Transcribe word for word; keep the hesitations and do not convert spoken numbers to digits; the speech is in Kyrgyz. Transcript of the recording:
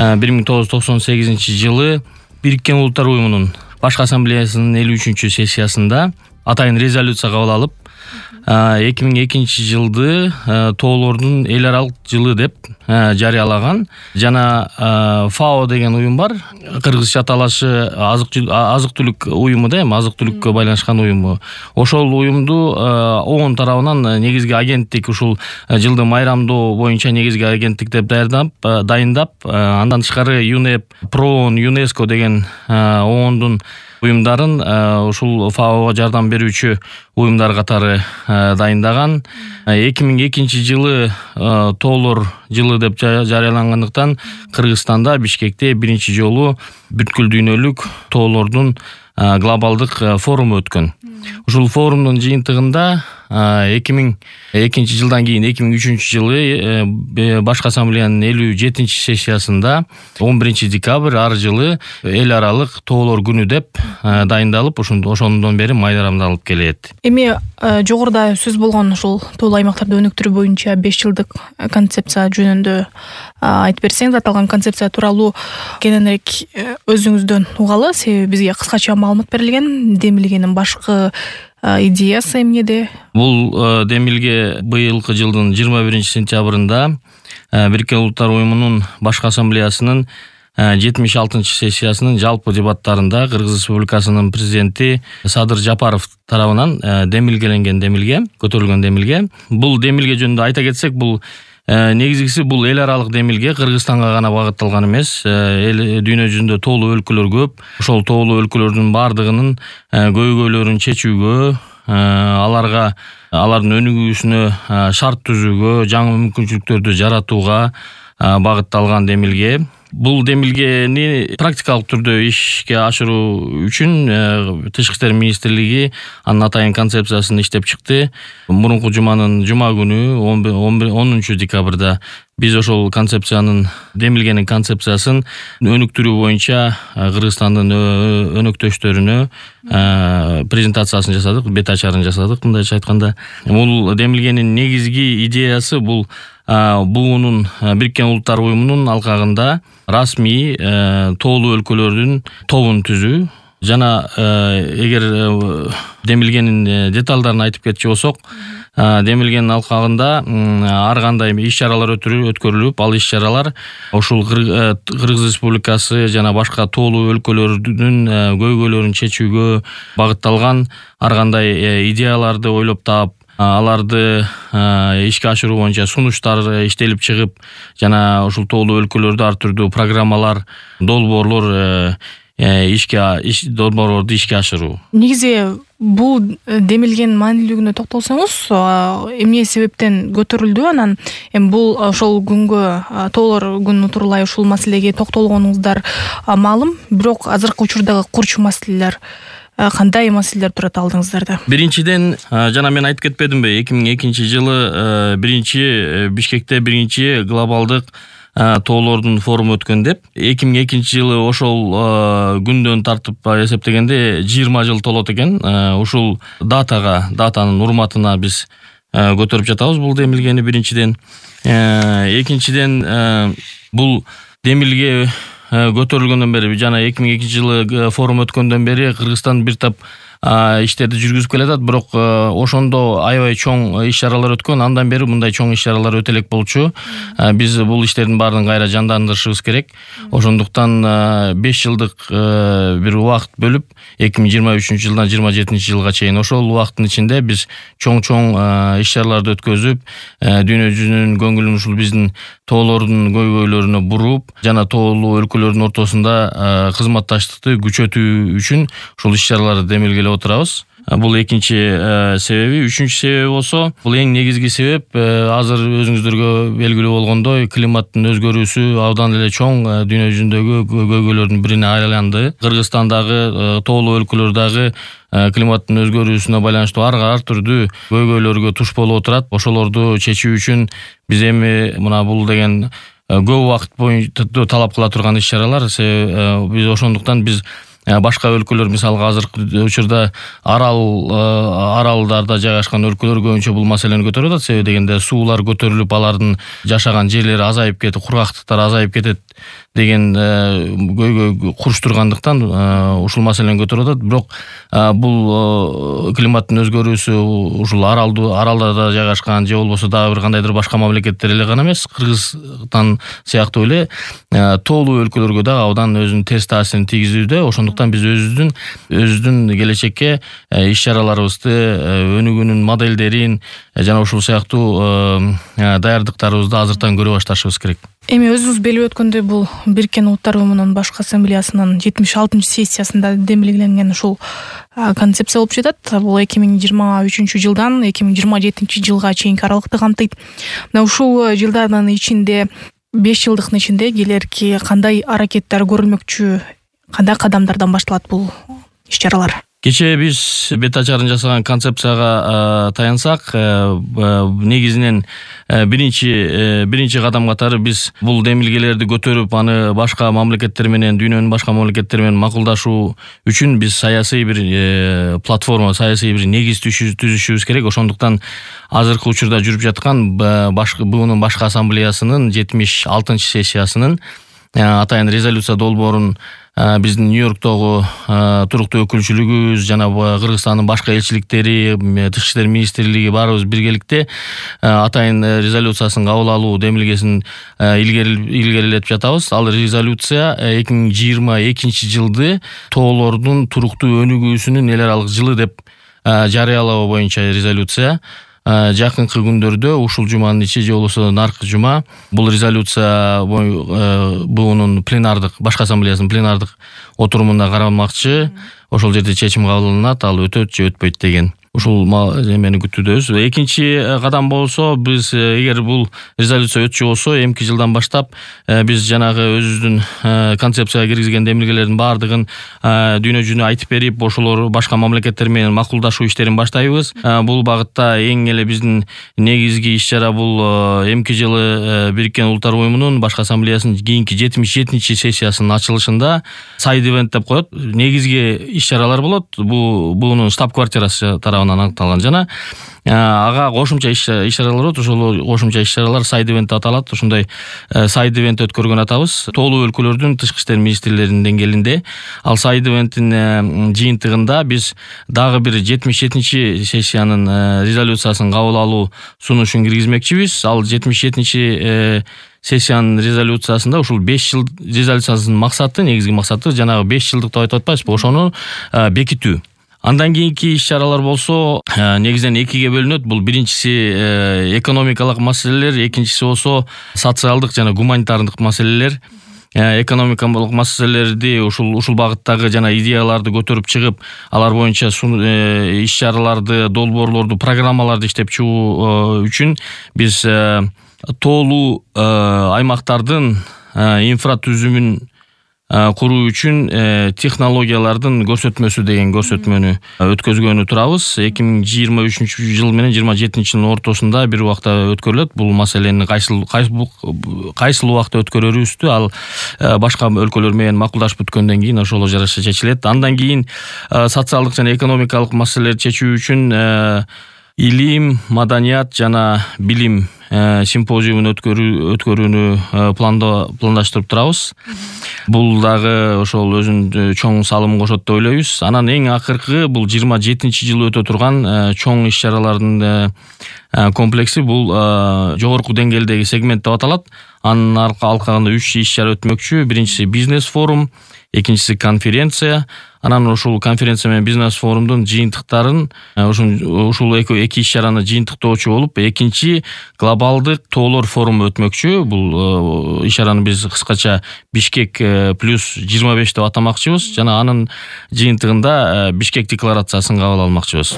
бир миң тогуз жүз токсон сегизинчи жылы Бириккен Улуттар Уюмунун башкы ассамблеясынын элүү үчүнчү сессиясында атайын резолюция кабыл алып, эки миң экинчи жылды тоолордун эл аралык жылы деп жарыялаган. Жана ФАО деген уюм бар, кыргызча аталышы азык түлүк уюму да, эми азык түлүккө байланышкан уюму. Ошол уюмду ООН тарабынан негизги агенттик, ушул жылды майрамдоо боюнча негизги агенттик деп даярдап, дайындап, андан тышкары ЮНЕП, ПРООН, ЮНЕСКО деген ООНдун уюмдарын ушул ФАОго жардам берүүчү уюмдар катары дайындаган. эки миң экинчи жылы тоолор жылы деп жарыялангандыктан Кыргызстанда Бишкекте биринчи жолу бүткүл дүйнөлүк тоолордун глобалдык форуму өткөн. Ушул форумдун жыйынтыгында эки миң экинчи жылдан кийин эки миң үчүнчү жылы башкы ассамблеянын элүү жетинчи сессиясында он биринчи декабрь ар жылы эл аралык тоолор күнү деп дайындалып, ошондон бери майрамдалып келет. Эми жогоруда сөз болгон ушул тоолуу аймактарды өнүктүрүү боюнча беш жылдык концепция жөнүндө айтып берсеңиз, аталган концепция тууралуу кененирээк өзүңүздөн угалы, себеби бизге кыскача маалымат берилген. Демилгенин башкы идеясы эмнеде? Бул демилге быйылкы жылдын жыйырма биринчи сентябрында Бириккен Улуттар Уюмунун башкы ассамблеясынын жетимиш алтынчы сессиясынын жалпы дебаттарында Кыргыз Республикасынын президенти Садыр Жапаров тарабынан демилгеленген демилге, көтөрүлгөн демилге. Бул демилге жөнүндө айта кетсек, бул негизгиси бул эл аралык демилге, Кыргызстанга гана багытталган эмес. Эл дүйнө жүзүндө тоолуу өлкөлөр көп. Ошол тоолуу өлкөлөрдүн бардыгынын көйгөйлөрүн чечүүгө, аларга алардын өнүгүүсүнө шарт түзүүгө, жаңы мүмкүнчүлүктөрдү жаратууга багытталган демилге. Бул демилгени практикалык түрдө ишке ашыруу үчүн Тышкы иштер министрлиги анын атайын концепциясын иштеп чыкты. Мурунку жуманын жума күнү онунчу декабрда биз ошол концепциянын, демилгенин концепциясын өнүктүрүү боюнча Кыргызстандын өнөктөштөрүнө презентациясын жасадык, бет ачарын жасадык. Мындайча айтканда, бул демилгенин негизги идеясы бул буунун Бириккен Улуттар Уюмунун алкагында расмий тоолуу өлкөлөрдүн тобун түзүү. Жана эгер демилгенин деталдарын айтып кетчү болсок, демилгенин алкагында ар кандай иш-чаралар өткөрүлүп, ал иш-чаралар ушул Кыргыз Республикасы жана башка тоолуу өлкөлөрдүн көйгөйлөрүн чечүүгө багытталган ар кандай идеяларды ойлоп таап, аларды ишке ашыруу боюнча сунуштар иштелип чыгып, жана ушул тоолуу өлкөлөрдө ар түрдүү программалар, долбоорлор ишке долбоорлорду ишке ашыруу. Негизи бул демилгенин маанилүүлүгүнө токтолсоңуз, эмне себептен көтөрүлдү? Анан эми бул ошол күнгө, тоолор күнү тууралай ушул маселеге токтолгонуңуздар маалым, бирок азыркы учурдагы курчу маселелер кандай маселелер турат алдыңыздарда? Биринчиден, жана мен айтып кетпедимби, эки миң экинчи жылы биринчи Бишкекте биринчи глобалдык тоолордун форуму өткөн деп. эки миң экинчи жылы ошол күндөн тартып эсептегенде жыйырма жыл толот экен. Ушул датага, датанын урматына биз көтөрүп жатабыз бул демилгени биринчиден. Экинчиден, бул демилге көтөрүлгөндөн бери, жана эки миң экинчи жылы форум өткөндөн бери Кыргызстан бир топ иштерди жүргүзүп келатат, бирок ошондо аябай чоң иш-чаралар өткөн. Андан бери мындай чоң иш-чаралар өтө элек болчу. Биз бул иштердин баарын кайра жандандырышыбыз керек. Ошондуктан беш жылдык бир убакыт бөлүп, эки миң жыйырма үчүнчү жылдан жыйырма жетинчи жылга чейин ошол убакыттын ичинде биз чоң-чоң иш-чараларды өткөзүп, дүйнө жүзүнүн көңүлүн ушул биздин тоолордун көйгөйлөрүнө буруп, жана тоолуу өлкөлөрдүн ортосунда кызматташтыкты күчөтүү үчүн ушул иш-чараларды демилгелеп отурабыз. Бул экинчи себеби. Үчүнчү себеби болсо, бул эң негизги себеп азыр өзүңүздөргө белгилүү болгондой климаттын өзгөрүүсү абдан эле чоң дүйнө жүзүндөгү көйгөйлөрдүн бирине айланды. Кыргызстандагы тоолуу өлкөлөрдөгү климаттын өзгөрүүсүнө байланыштуу ар ар түрдүү көйгөйлөргө туш болуп отурат. Ошолорду чечүү үчүн биз эми мына бул деген көп убакыт боюнча талап кыла турган иш-чаралар. Биз ошондуктан биз башка өлкөлөр, мисалга азыркы учурда арал аралдарда жайгашкан өлкөлөр көбүнчө бул маселени көтөрүп атат. Себеби дегенде суулар көтөрүлүп, алардын жашаган жерлери азайып кетип, кургактыктар азайып кетет деген көйгөй куруштургандыктан ушул маселени көтөрүп атат. Бирок бул климаттын өзгөрүүсү ушул аралды аралдарда жайгашкан же болбосо дагы бир кандайдыр башка мамлекеттер эле гана эмес, Кыргызстан сыяктуу эле тоолуу өлкөлөргө дагы абдан өзүнүн терс таасирин тийгизүүдө. Ошондуктан биз өзүбүздүн өзүбүздүн келечекке иш-чараларыбызды, өнүгүүнүн модельдерин жана ушул сыяктуу даярдыктарыбызды азыртан көрө башташыбыз керек. Эми өзүңүз белип өткөндөй, бул Бириккен Улуттар Уюмунун башкы ассамблеясынын жетимиш алтынчы сессиясында демилгеленген ушул концепция болуп жатат. Бул эки миң жыйырма үчүнчү жылдан эки миң жыйырма жетинчи жылга чейинки аралыкты камтыйт. Мына ушул жылдардын ичинде, беш жылдыктын ичинде келерки кандай аракеттер көрүлмөкчү, кандай кадамдардан башталат бул иш-чаралар? Кечээ биз бет ачарын жасаган концепцияга таянсак, негизинен биринчи биринчи кадам катары биз бул демилгелерди көтөрүп, аны башка мамлекеттер менен, дүйнөнүн башка мамлекеттери менен макулдашуу үчүн биз саясий бир платформа, саясий бир негиз түзүшүбүз керек. Ошондуктан азыркы учурда жүрүп жаткан башкы буунун башкы ассамблеясынын жетимиш алтынчы сессиясынын атайын резолюция долбоорун биздин Нью-Йорктогу туруктуу өкүлчүлүгүбүз жана Кыргызстандын башка элчиликтери, Тышкы иштер министрлиги баарыбыз биргеликте атайын резолюциясын кабыл алуу демилгесин илгерилетип жатабыз. Ал резолюция эки миң жыйырма экинчи жылды тоолордун туруктуу өнүгүүсүнүн эл аралык жылы деп жарыялоо боюнча резолюция. Жакынкы күндөрдө ушул жуманын ичи же болбосо наркы жума бул резолюция буунун пленардык, башкы ассамблеясынын пленардык отурумунда каралмакчы. Ошол жерде чечим кабыл алынат, ал өтөт же өтпөйт деген. Ушул эмени күтүүдөбүз. Экинчи кадам болсо, биз эгер бул резолюция өтчү болсо, эмки жылдан баштап биз жанагы өзүбүздүн концепцияга киргизген демилгелердин баардыгын дүйнө жүзүнө айтып берип, ошолор башка мамлекеттер менен макулдашуу иштерин баштайбыз. Бул багытта эң эле биздин негизги иш-чара бул эмки жылы Бириккен Улуттар Уюмунун башкы ассамблеясынын кийинки жетимиш жетинчи сессиясынын ачылышында сайд ивент деп коет. Негизги иш-чаралар болот. Бул буунун штаб-квартирасы тарабынан аныкталган жана ага кошумча иш-чаралар болот. Ошол кошумча иш-чаралар сайд ивент деп аталат. Ошондой сайд ивент өткөргөн атабыз. Тоолуу өлкөлөрдүн тышкы иштер министрлеринин деңгээлинде. Ал сайд ивенттин жыйынтыгында биз дагы бир жетимиш жетинчи сессиянын резолюциясын кабыл алуу сунушун киргизмекчибиз. Ал жетимиш жетинчи сессиянын резолюциясында ушул беш жыл резолюциясынын максаты, негизги максаты жанагы беш жылдык деп айтып атпайбызбы, ошону бекитүү. Андан кийинки иш-чаралар болсо негизинен экиге бөлүнөт. Бул биринчиси экономикалык маселелер, экинчиси болсо социалдык жана гуманитардык маселелер. Экономикалык маселелерди ушул ушул багыттагы жана идеяларды көтөрүп чыгып, алар боюнча иш-чараларды, долбоорлорду, программаларды иштеп чыгуу үчүн биз тоолуу аймактардын инфратүзүмүн куруу үчүн технологиялардын көрсөтмөсү деген көрсөтмөнү өткөзгөнү турабыз. эки миң жыйырма үчүнчү жыл менен жыйырма жетинчи жылдын ортосунда бир убакта өткөрүлөт. Бул маселени кайсыл кайсыл убакта өткөрөрүбүздү ал башка өлкөлөр менен макулдашып бүткөндөн кийин ошого жараша чечилет. Андан кийин социалдык жана экономикалык маселелерди чечүү үчүн илим, маданият жана билим симпозиумун өткөрүүнү пландаштырып турабыз. Бул дагы ошол өзүнүн чоң салымын кошот деп ойлойбуз. Анан эң акыркы бул жыйырма жетинчи жылы өтө турган чоң иш-чаралардын комплекси бул жогорку деңгээлдеги сегмент деп аталат. Анын алкагында үч иш-чара өтмөкчү. Биринчиси бизнес форум, экинчиси конференция. Анан ушул конференция менен бизнес форумдун жыйынтыктарын ушул эки иш-чараны жыйынтыктоочу болуп, экинчи глобалдык тоолор форуму өтмөкчү. Бул иш-чараны биз кыскача Бишкек плюс жыйырма беш деп атамакчыбыз жана анын жыйынтыгында Бишкек декларациясын кабыл алмакчыбыз.